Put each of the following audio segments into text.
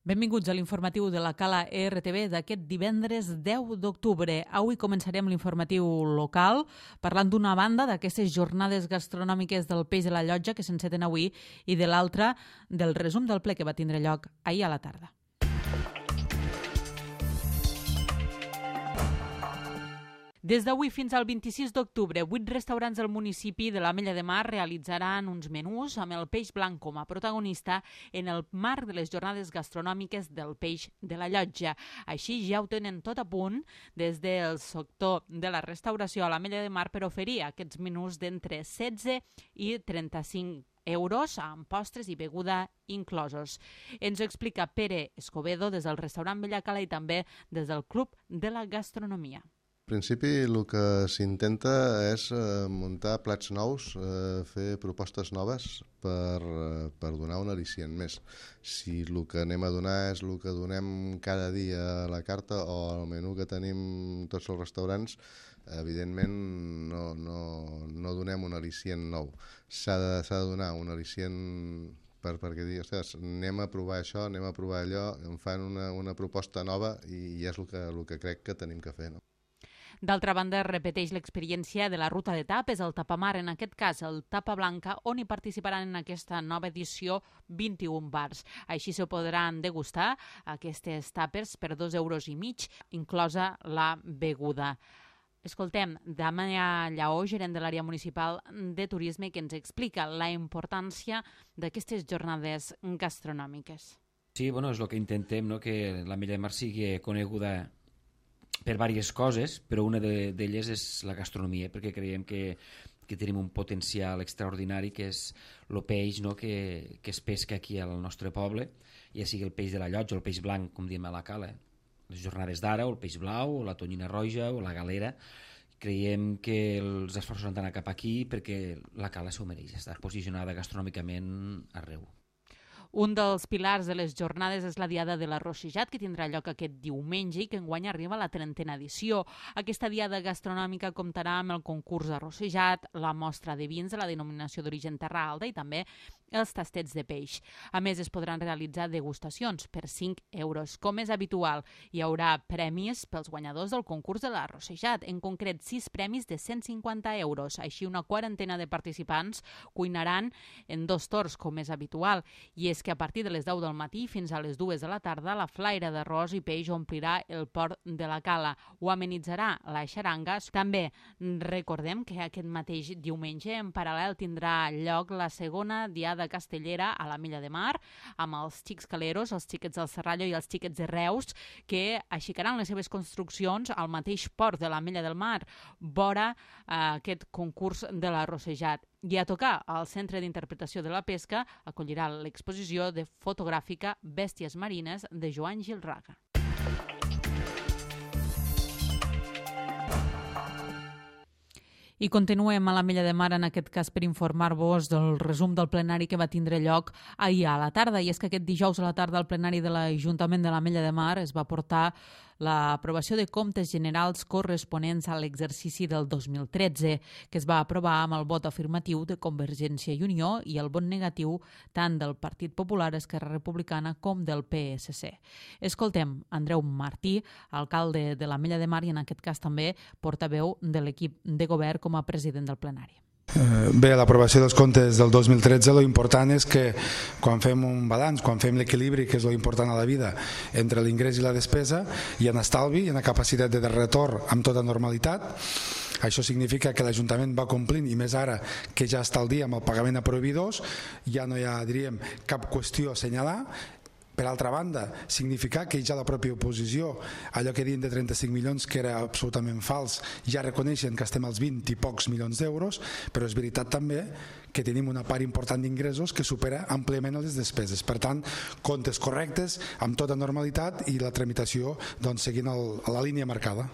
Benvinguts a l'informatiu de la Cala RTV d'aquest divendres 10 d'octubre. Avui començarem l'informatiu local parlant d'una banda d'aquestes jornades gastronòmiques del Peix de la Llotja que s'enceten avui i de l'altra del resum del ple que va tindre lloc ahir a la tarda. Des d'avui fins al 26 d'octubre, 8 restaurants del municipi de l'Ametlla de Mar realitzaran uns menús amb el peix blanc com a protagonista en el marc de les jornades gastronòmiques del Peix de la Llotja. Així ja ho tenen tot a punt des del sector de la restauració a l'Ametlla de Mar per oferir aquests menús d'entre 16 i 35 euros amb postres i beguda inclosos. Ens ho explica Pere Escobedo des del restaurant Bellacala i també des del Club de la Gastronomia. En principi el que s'intenta és muntar plats nous, fer propostes noves per donar un al·licient més. Si el que anem a donar és el que donem cada dia a la carta o al menú que tenim tots els restaurants, evidentment no donem un al·licient nou. S'ha de donar un al·licient perquè dir, ostres, anem a provar això, anem a provar allò, em fan una proposta nova i és el que crec que tenim que fer, no? D'altra banda, repeteix l'experiència de la ruta de tapes, el tapamar, en aquest cas el tapa blanca, on hi participaran en aquesta nova edició 21 bars. Així se podran degustar aquestes tapes per 2,5 euros, inclosa la beguda. Escoltem Damià Lleó, gerent de l'àrea municipal de turisme, que ens explica la importància d'aquestes jornades gastronòmiques. Sí, és el que intentem, no? Que l'Ametlla de Mar sigui coneguda per diverses coses, però una d'elles és la gastronomia, perquè creiem que tenim un potencial extraordinari, que és el peix, no? que es pesca aquí al nostre poble, ja sigui el peix de la Llotja o el peix blanc, com diem a la Cala, les jornades d'ara, o el peix blau, o la tonyina roja, o la galera. Creiem que els esforços han d'anar cap aquí perquè la Cala s'ho mereix, estar posicionada gastronòmicament arreu. Un dels pilars de les jornades és la Diada de l'Arrossejat, que tindrà lloc aquest diumenge i que enguany arriba a la 30a edició. Aquesta diada gastronòmica comptarà amb el concurs d'arrossejat, la mostra de vins de la denominació d'origen Terra Alta i també els tastets de peix. A més, es podran realitzar degustacions per 5 euros. Com és habitual, hi haurà premis pels guanyadors del concurs de l'arrossejat, en concret 6 premis de 150 euros. Així, una quarantena de participants cuinaran en 2 torns, com és habitual, i és que a partir de les 10 del matí fins a les 2 de la tarda la flaire d'arròs i peix omplirà el port de la Cala. Ho amenitzarà la xaranga. També recordem que aquest mateix diumenge en paral·lel tindrà lloc la segona diada castellera a l'Ametlla de Mar amb els xics caleros, els xiquets del Serrallo i els xiquets de Reus, que aixecaran les seves construccions al mateix port de l'Ametlla del Mar, vora aquest concurs de l'arrossejat. I a tocar al Centre d'Interpretació de la Pesca acollirà l'exposició de fotogràfica Bèsties Marines de Joan Gilraga. I continuem a l'Ametlla de Mar, en aquest cas per informar-vos del resum del plenari que va tindre lloc ahir a la tarda. I és que aquest dijous a la tarda al plenari de l'Ajuntament de l'Ametlla de Mar es va portar l'aprovació de comptes generals corresponents a l'exercici del 2013, que es va aprovar amb el vot afirmatiu de Convergència i Unió i el vot negatiu tant del Partit Popular, Esquerra Republicana com del PSC. Escoltem Andreu Martí, alcalde de l'Ametlla de Mar i en aquest cas també portaveu de l'equip de govern com a president del plenari. Bé, l'aprovació dels comptes del 2013, lo important és que quan fem un balanç, quan fem l'equilibri, que és lo important a la vida, entre l'ingrés i la despesa, hi ha estalvi, hi ha capacitat de retorn amb tota normalitat. Això significa que l'Ajuntament va complint, i més ara que ja està al dia amb el pagament a proveïdors, ja no hi ha, diríem, cap qüestió a assenyalar. Per altra banda, significar que ja la pròpia oposició, allò que diuen de 35 milions, que era absolutament fals, ja reconeixen que estem als 20 i pocs milions d'euros, però és veritat també que tenim una part important d'ingressos que supera àmpliament les despeses. Per tant, comptes correctes, amb tota normalitat i la tramitació seguint la línia marcada.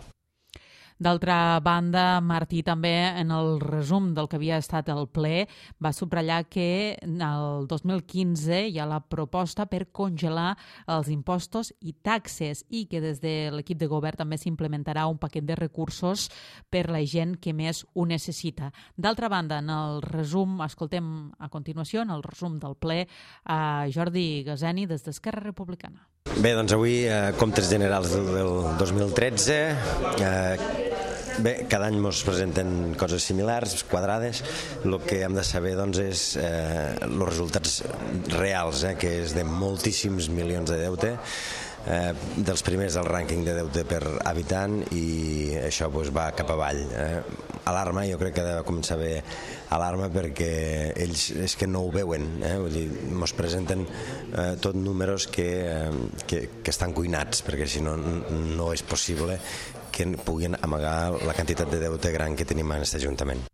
D'altra banda, Martí també en el resum del que havia estat el ple va subratllar que el 2015 hi ha la proposta per congelar els impostos i taxes i que des de l'equip de govern també s'implementarà un paquet de recursos per la gent que més ho necessita. D'altra banda, en el resum, escoltem a continuació, en el resum del ple, a Jordi Gaseni des d'Esquerra Republicana. Bé, doncs avui, comptes generals del 2013, bé, cada any ens presenten coses similars, quadrades. El que hem de saber doncs, és els resultats reals, que és de moltíssims milions de deute, dels primers del rànquing de deute per habitant, i això va cap avall. Alarma, jo crec que ha de començar a haver alarma, perquè ells és que no ho veuen, vull dir, ens presenten tot números que estan cuinats, perquè si no, no és possible que puguin amagar la quantitat de deute gran que tenim en aquest Ajuntament.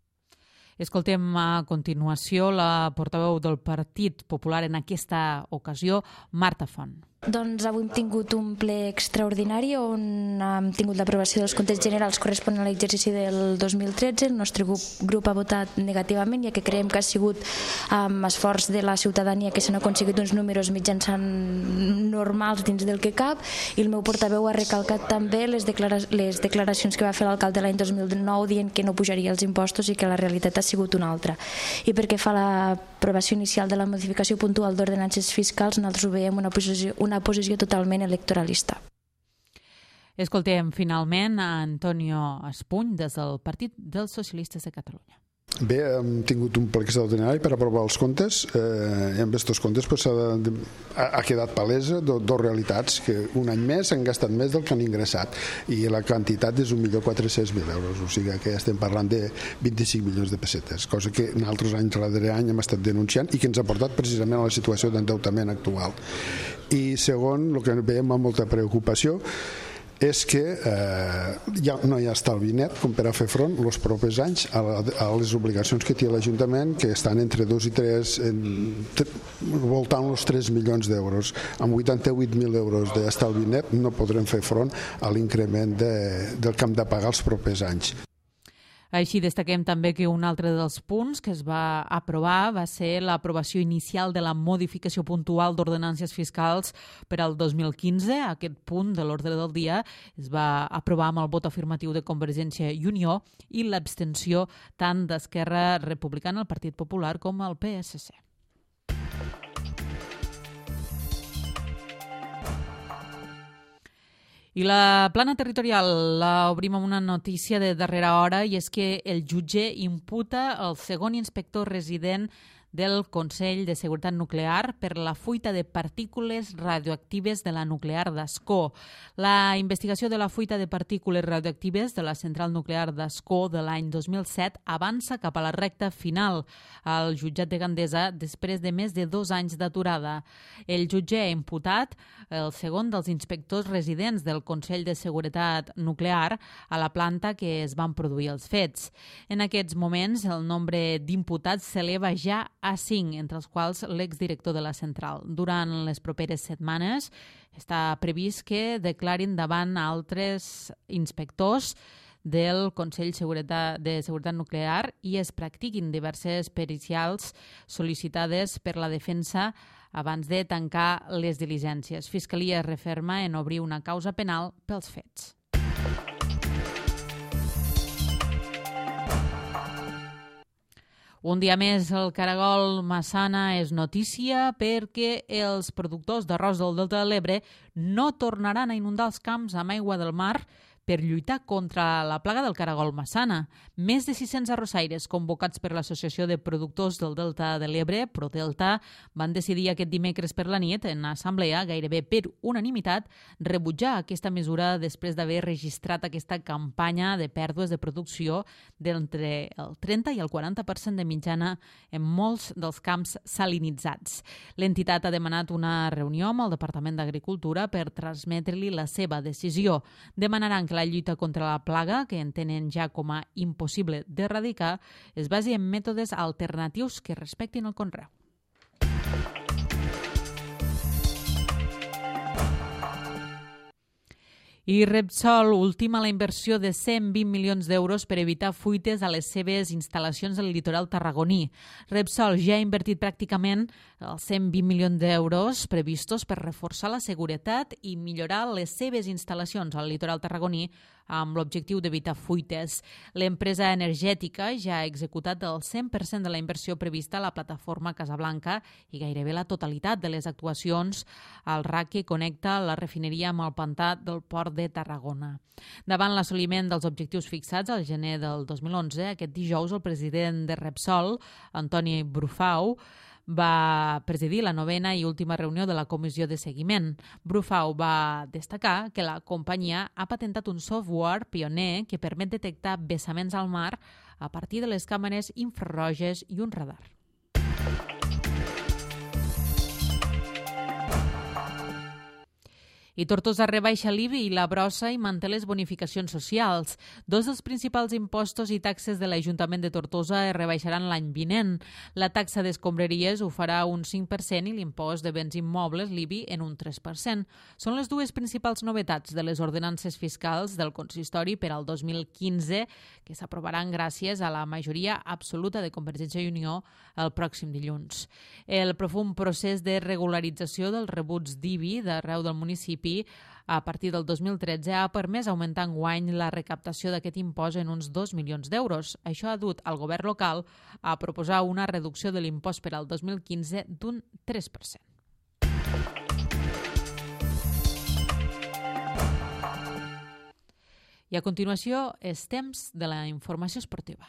Escoltem a continuació la portaveu del Partit Popular en aquesta ocasió, Marta Font. Doncs avui hem tingut un ple extraordinari on hem tingut l'aprovació dels comptes generals corresponent a l'exercici del 2013. El nostre grup ha votat negativament, ja que creiem que ha sigut esforç de la ciutadania que s'han aconseguit uns números mitjançant normals dins del que cap, i el meu portaveu ha recalcat també les declaracions que va fer l'alcalde l'any 2009 dient que no pujaria els impostos i que la realitat ha sigut una altra. I perquè fa l'aprovació inicial de la modificació puntual d'ordenances fiscals, nosaltres ho veiem una posició totalment electoralista. Escoltem finalment a Antonio Espuny des del Partit dels Socialistes de Catalunya. Bé, hem tingut un ple extraordinari per aprovar els comptes, i amb aquests comptes ha quedat palesa dos realitats, que un any més han gastat més del que han ingressat, i la quantitat és 1.400.000 euros, o sigui que estem parlant de 25 milions de pessetes, cosa que en altres anys darrere any hem estat denunciant i que ens ha portat precisament a la situació d'endeutament actual. I segon, el que veiem amb molta preocupació és que no hi ha estalvi net com per a fer front els propers anys a les obligacions que té l'Ajuntament, que estan entre 2 i 3, voltant els 3 milions d'euros. Amb 88.000 euros d'estalvi net no podrem fer front a l'increment del que hem de pagar els propers anys. Així destaquem també que un altre dels punts que es va aprovar va ser l'aprovació inicial de la modificació puntual d'ordenances fiscals per al 2015. Aquest punt de l'ordre del dia es va aprovar amb el vot afirmatiu de Convergència i Unió i l'abstenció tant d'Esquerra Republicana, el Partit Popular, com el PSC. I la plana territorial l'obrim amb una notícia de darrera hora, i és que el jutge imputa el segon inspector resident del Consell de Seguretat Nuclear per la fuita de partícules radioactives de la nuclear d'Ascó. La investigació de la fuita de partícules radioactives de la central nuclear d'Ascó de l'any 2007 avança cap a la recta final al jutjat de Gandesa després de més de 2 anys d'aturada. El jutge ha imputat el segon dels inspectors residents del Consell de Seguretat Nuclear a la planta que es van produir els fets. En aquests moments, el nombre d'imputats s'eleva ja a 5, entre els quals l'exdirector de la central. Durant les properes setmanes està previst que declarin davant altres inspectors del Consell de Seguretat Nuclear i es practiquin diverses pericials sol·licitades per la defensa abans de tancar les diligències. Fiscalia es referma en obrir una causa penal pels fets. Un dia més, el caragol Massana és notícia perquè els productors d'arròs del Delta de l'Ebre no tornaran a inundar els camps amb aigua del mar per lluitar contra la plaga del caragol Massana. Més de 600 arrossaires convocats per l'Associació de Productors del Delta de l'Ebre, ProDelta, van decidir aquest dimecres per la nit, en assemblea, gairebé per unanimitat, rebutjar aquesta mesura després d'haver registrat aquesta campanya de pèrdues de producció d'entre el 30 i el 40% de mitjana en molts dels camps salinitzats. L'entitat ha demanat una reunió amb el Departament d'Agricultura per transmetre-li la seva decisió. Demanaran que la lluita contra la plaga, que entenen ja com a impossible d'erradicar, es basi en mètodes alternatius que respectin el conreu. I Repsol ultima la inversió de 120 milions d'euros per evitar fuites a les seves instal·lacions del litoral tarragoní. Repsol ja ha invertit pràcticament els 120 milions d'euros previstos per reforçar la seguretat i millorar les seves instal·lacions al litoral tarragoní amb l'objectiu d'evitar fuites. L'empresa energètica ja ha executat el 100% de la inversió prevista a la plataforma Casablanca i gairebé la totalitat de les actuacions al RAC que connecta la refineria amb el pantà del port de Tarragona. Davant l'assoliment dels objectius fixats al gener del 2011, aquest dijous el president de Repsol, Antoni Brufau, va presidir la 9ª i última reunió de la comissió de seguiment. Brufau va destacar que la companyia ha patentat un software pioner que permet detectar vessaments al mar a partir de les càmeres infraroges i un radar. I Tortosa rebaixa l'IBI i la brossa i manté les bonificacions socials. Dos dels principals impostos i taxes de l'Ajuntament de Tortosa es rebaixaran l'any vinent. La taxa d'escombraries ho farà un 5% i l'impost de béns immobles, l'IBI, en un 3%. Són les dues principals novetats de les ordenances fiscals del consistori per al 2015 que s'aprovaran gràcies a la majoria absoluta de Convergència i Unió el pròxim dilluns. El profund procés de regularització dels rebuts d'IBI d'arreu del municipi a partir del 2013 ha permès augmentar enguany la recaptació d'aquest impost en uns 2 milions d'euros. Això ha dut al govern local a proposar una reducció de l'impost per al 2015 d'un 3%. I a continuació és temps de la informació esportiva.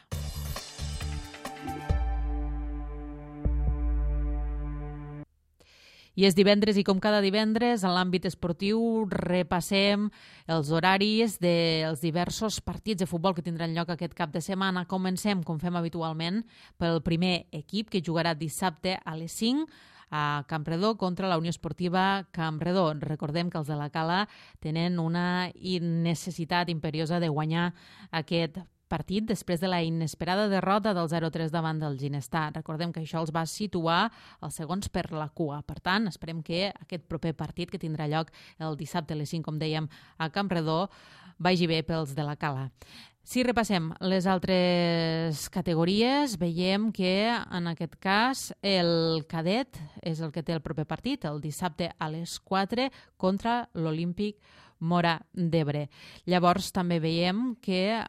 I és divendres i com cada divendres en l'àmbit esportiu repassem els horaris dels diversos partits de futbol que tindran lloc aquest cap de setmana. Comencem, com fem habitualment, pel primer equip que jugarà dissabte a les 5 a Campredó contra la Unió Esportiva Campredó. Recordem que els de la Cala tenen una necessitat imperiosa de guanyar aquest partit després de la inesperada derrota del 0-3 davant del Ginestar. Recordem que això els va situar els segons per la cua. Per tant, esperem que aquest proper partit que tindrà lloc el dissabte a les 5, com dèiem, a Campredó, vagi bé pels de la Cala. Si repassem les altres categories, veiem que en aquest cas el cadet és el que té el proper partit, el dissabte a les 4 contra l'Olímpic Móra d'Ebre. Llavors també veiem que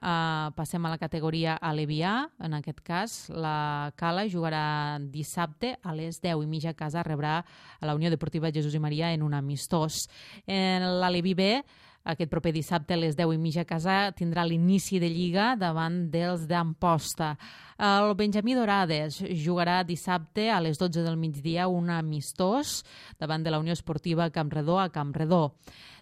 passem a la categoria alevià. En aquest cas, la Cala jugarà dissabte a les 10:30 a casa, rebrà a la Unió Deportiva Jesús i Maria en un amistós. En l'aleví B, aquest proper dissabte a les 10:30 a casa tindrà l'inici de Lliga davant dels d'Amposta. El Benjamí Dorades jugarà dissabte a les 12 del migdia un amistós davant de la Unió Esportiva Campredó a Campredó.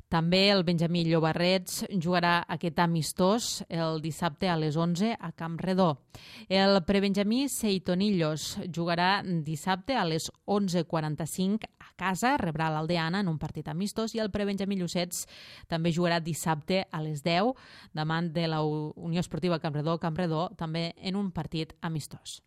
També el Benjamí Llobarrets jugarà aquest amistós el dissabte a les 11 a Campredó. El prebenjamí Seitonillos jugarà dissabte a les 11:45 a casa, rebrà l'Aldeana en un partit amistós, i el prebenjamí Llucets també jugarà dissabte a les 10 davant de la Unió Esportiva Campredó, també en un partit amistós.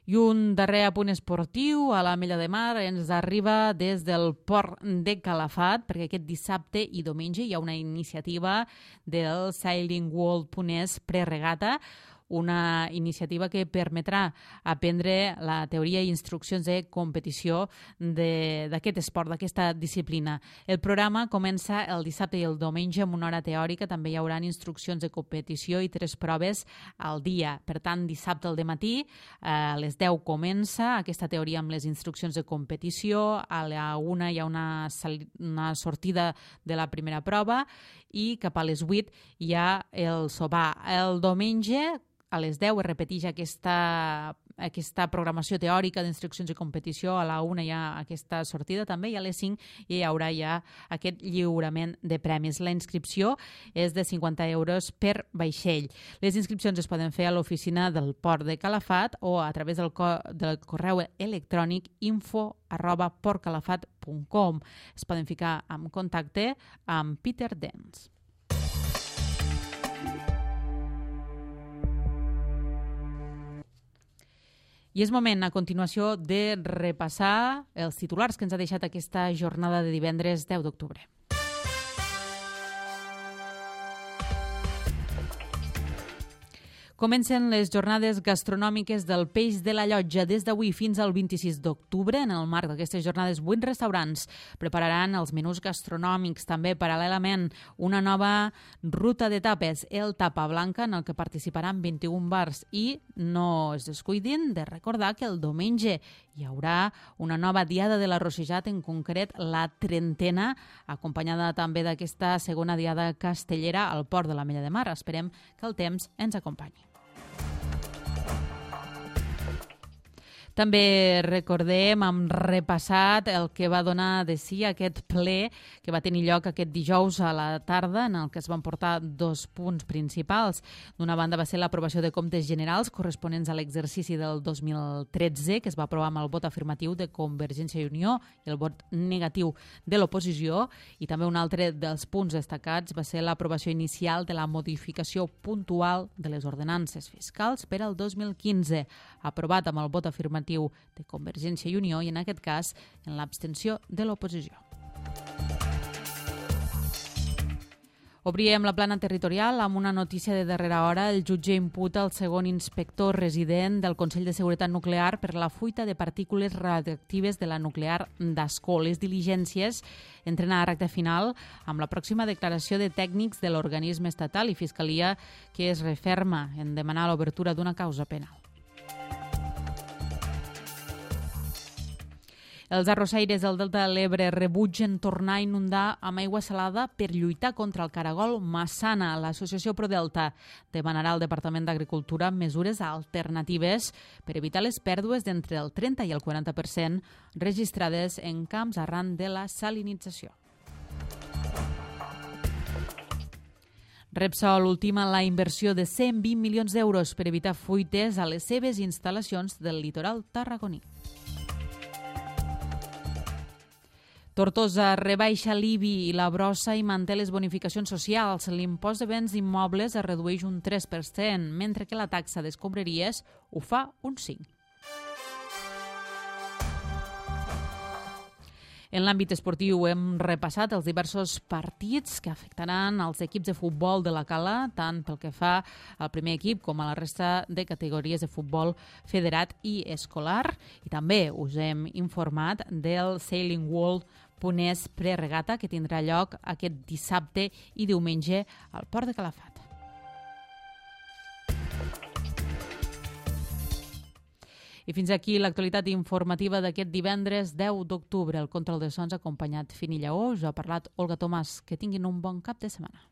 I un darrer apunt esportiu a l'Ametlla de Mar ens arriba des del port de Calafat, perquè aquest dissabte i diumenge hi ha una iniciativa del Sailing World Punès Preregata, una iniciativa que permetrà aprendre la teoria i instruccions de competició d'aquest esport, d'aquesta disciplina. El programa comença el dissabte i el diumenge amb una hora teòrica. També hi haurà instruccions de competició i 3 proves al dia. Per tant, dissabte al dematí a les 10 comença aquesta teoria amb les instruccions de competició. A la 1 hi ha una sortida de la primera prova i cap a les 8 hi ha el sopar. El diumenge a les 10 es repeteix aquesta programació teòrica d'instruccions i competició. A la 1 hi ha aquesta sortida també, i a les 5 hi haurà ja aquest lliurament de premis. La inscripció és de 50 euros per vaixell. Les inscripcions es poden fer a l'oficina del Port de Calafat o a través del correu electrònic info@portcalafat.com. Es poden ficar en contacte amb Peter Dens. I és moment, a continuació, de repassar els titulars que ens ha deixat aquesta jornada de divendres 10 d'octubre. Comencen les jornades gastronòmiques del Peix de la Llotja des d'avui fins al 26 d'octubre. En el marc d'aquestes jornades, 8 restaurants prepararan els menús gastronòmics. També, paral·lelament, una nova ruta de tapes, el Tapa Blanca, en el que participaran 21 bars. I no es descuidin de recordar que el diumenge hi haurà una nova diada de la Rossejat, en concret la 30ena, acompanyada també d'aquesta segona diada castellera al Port de l'Ametlla de Mar. Esperem que el temps ens acompanyi. També recordem, hem repassat el que va donar de si aquest ple que va tenir lloc aquest dijous a la tarda, en el que es van portar 2 punts principals. D'una banda va ser l'aprovació de comptes generals corresponents a l'exercici del 2013, que es va aprovar amb el vot afirmatiu de Convergència i Unió i el vot negatiu de l'oposició, i també un altre dels punts destacats va ser l'aprovació inicial de la modificació puntual de les ordenances fiscals per al 2015, aprovat amb el vot afirmatiu de Convergència i Unió i, en aquest cas, en l'abstenció de l'oposició. Obríem la plana territorial amb una notícia de darrera hora. El jutge imputa el segon inspector resident del Consell de Seguretat Nuclear per la fuita de partícules radioactives de la nuclear d'Ascó. Les diligències entren a recta final amb la pròxima declaració de tècnics de l'organisme estatal i Fiscalia, que es referma en demanar l'obertura d'una causa penal. Els arrossaires del Delta de l'Ebre rebutgen tornar a inundar amb aigua salada per lluitar contra el caragol Massana. L'associació ProDelta demanarà al Departament d'Agricultura mesures alternatives per evitar les pèrdues d'entre el 30 i el 40% registrades en camps arran de la salinització. Repsol ultima la inversió de 120 milions d'euros per evitar fuites a les seves instal·lacions del litoral tarragoní. Tortosa rebaixa l'IBI i la brossa i manté les bonificacions socials. L'impost de béns immobles es redueix un 3%, mentre que la taxa d'escombraries ho fa un 5%. En l'àmbit esportiu hem repassat els diversos partits que afectaran els equips de futbol de la Cala, tant pel que fa al primer equip com a la resta de categories de futbol federat i escolar. I també us hem informat del Sailing World Ponès preregata, que tindrà lloc aquest dissabte i diumenge al Port de Calafat. I fins aquí l'actualitat informativa d'aquest divendres 10 d'octubre. El control de sons ha acompanyat Fini Lleó. Us ha parlat Olga Tomàs. Que tinguin un bon cap de setmana.